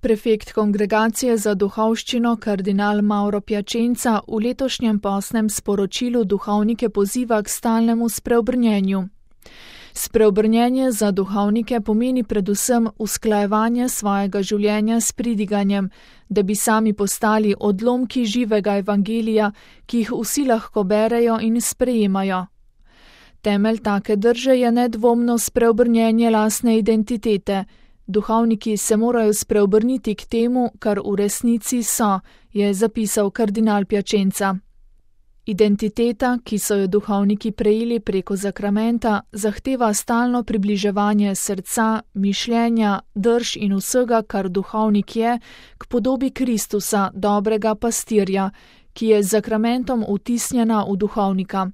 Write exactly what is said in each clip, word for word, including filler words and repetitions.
Prefekt Kongregacije za duhovščino kardinal Mauro Piacenza v letošnjem postnem sporočilu duhovnike poziva k stalnemu spreobrnjenju. Spreobrnjenje za duhovnike pomeni predvsem usklajevanje svojega življenja s pridiganjem, da bi sami postali odlomki živega evangelija, ki jih vsi lahko berejo in sprejemajo. Temelj take drže je nedvomno spreobrnjenje lastne identitete. Duhovniki se morajo spreobrniti k temu, kar v resnici so, je zapisal kardinal Piacenza. Identiteta, ki so jo duhovniki prejeli preko zakramenta, zahteva stalno približevanje srca, mišljenja, drž in vsega, kar duhovnik je, k podobi Kristusa, dobrega pastirja, ki je z zakramentom vtisnjena v duhovnika.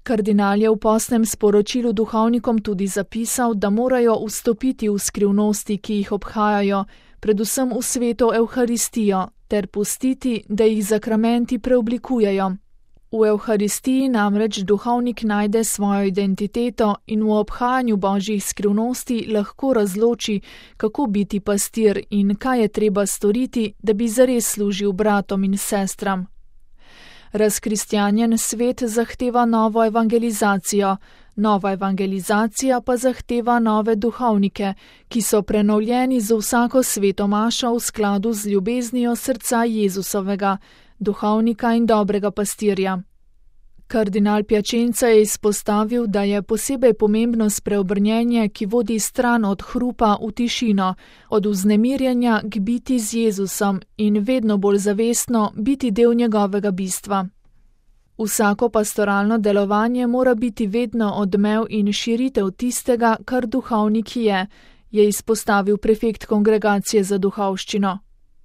Kardinal je v postnem sporočilu duhovnikom tudi zapisal, da morajo vstopiti v skrivnosti, ki jih obhajajo, predvsem v sveto Evharistijo, ter pustiti, da jih zakramenti preoblikujejo. V Evharistiji namreč duhovnik najde svojo identiteto in v obhajanju božjih skrivnosti lahko razloči, kako biti pastir in kaj je treba storiti, da bi zares služil bratom in sestram. Razkristjanjen svet zahteva novo evangelizacijo, nova evangelizacija pa zahteva nove duhovnike, ki so prenovljeni z vsako sveto mašo v skladu z ljubeznijo srca Jezusovega, duhovnika in dobrega pastirja. Kardinal Piacenza je izpostavil, da je posebej pomembno spreobrnjenje, ki vodi stran od hrupa v tišino, od vznemirjenja k biti z Jezusom in vedno bolj zavestno biti del njegovega bistva. Vsako pastoralno delovanje mora biti vedno odmev in širitev tistega, kar duhovnik je, je izpostavil prefekt Kongregacije za duhovščino.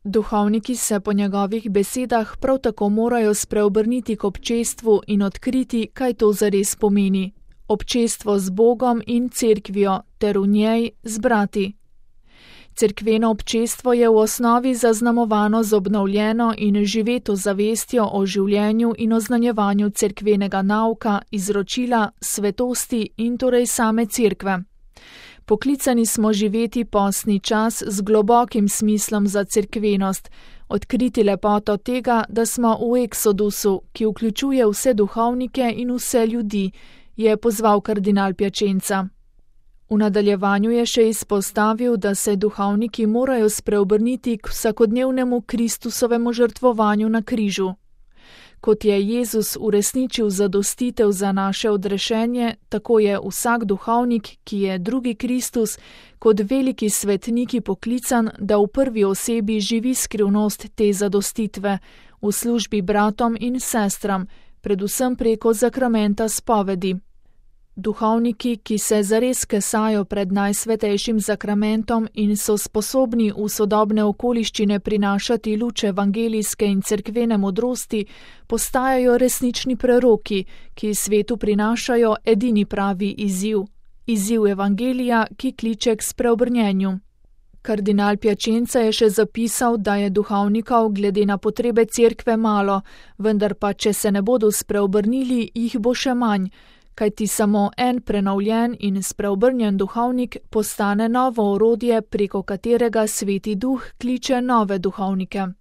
Duhovniki se po njegovih besedah prav tako morajo spreobrniti k občestvu in odkriti, kaj to zares pomeni. Občestvo z Bogom in cerkvijo, ter v njej z brati. Cerkveno občestvo je v osnovi zaznamovano z obnovljeno in živeto zavestjo o življenju in oznanjevanju cerkvenega nauka, izročila, svetosti in torej same cerkve. Poklicani smo živeti postni čas z globokim smislom za cerkvenost, odkriti lepoto tega, da smo v eksodusu, ki vključuje vse duhovnike in vse ljudi, je pozval kardinal Piacenza. V nadaljevanju je še izpostavil, da se duhovniki morajo spreobrniti k vsakodnevnemu Kristusovemu žrtvovanju na križu. Kot je Jezus uresničil zadostitev za naše odrešenje, tako je vsak duhovnik, ki je drugi Kristus, kot veliki svetniki poklican, da v prvi osebi živi skrivnost te zadostitve, v službi bratom in sestram, predvsem preko zakramenta spovedi. Duhovniki, ki se zares kesajo pred najsvetejšim zakramentom in so sposobni v sodobne okoliščine prinašati luč evangelijske in cerkvene modrosti, postajajo resnični preroki, ki svetu prinašajo edini pravi izziv, izziv evangelija, ki kliče k spreobrnjenju. Kardinal Piacenza je še zapisal, da je duhovnikov glede na potrebe cerkve malo, vendar pa, če se ne bodo spreobrnili, jih bo še manj, kajti samo en prenovljen in spreobrnjen duhovnik postane novo orodje, preko katerega Sveti Duh kliče nove duhovnike.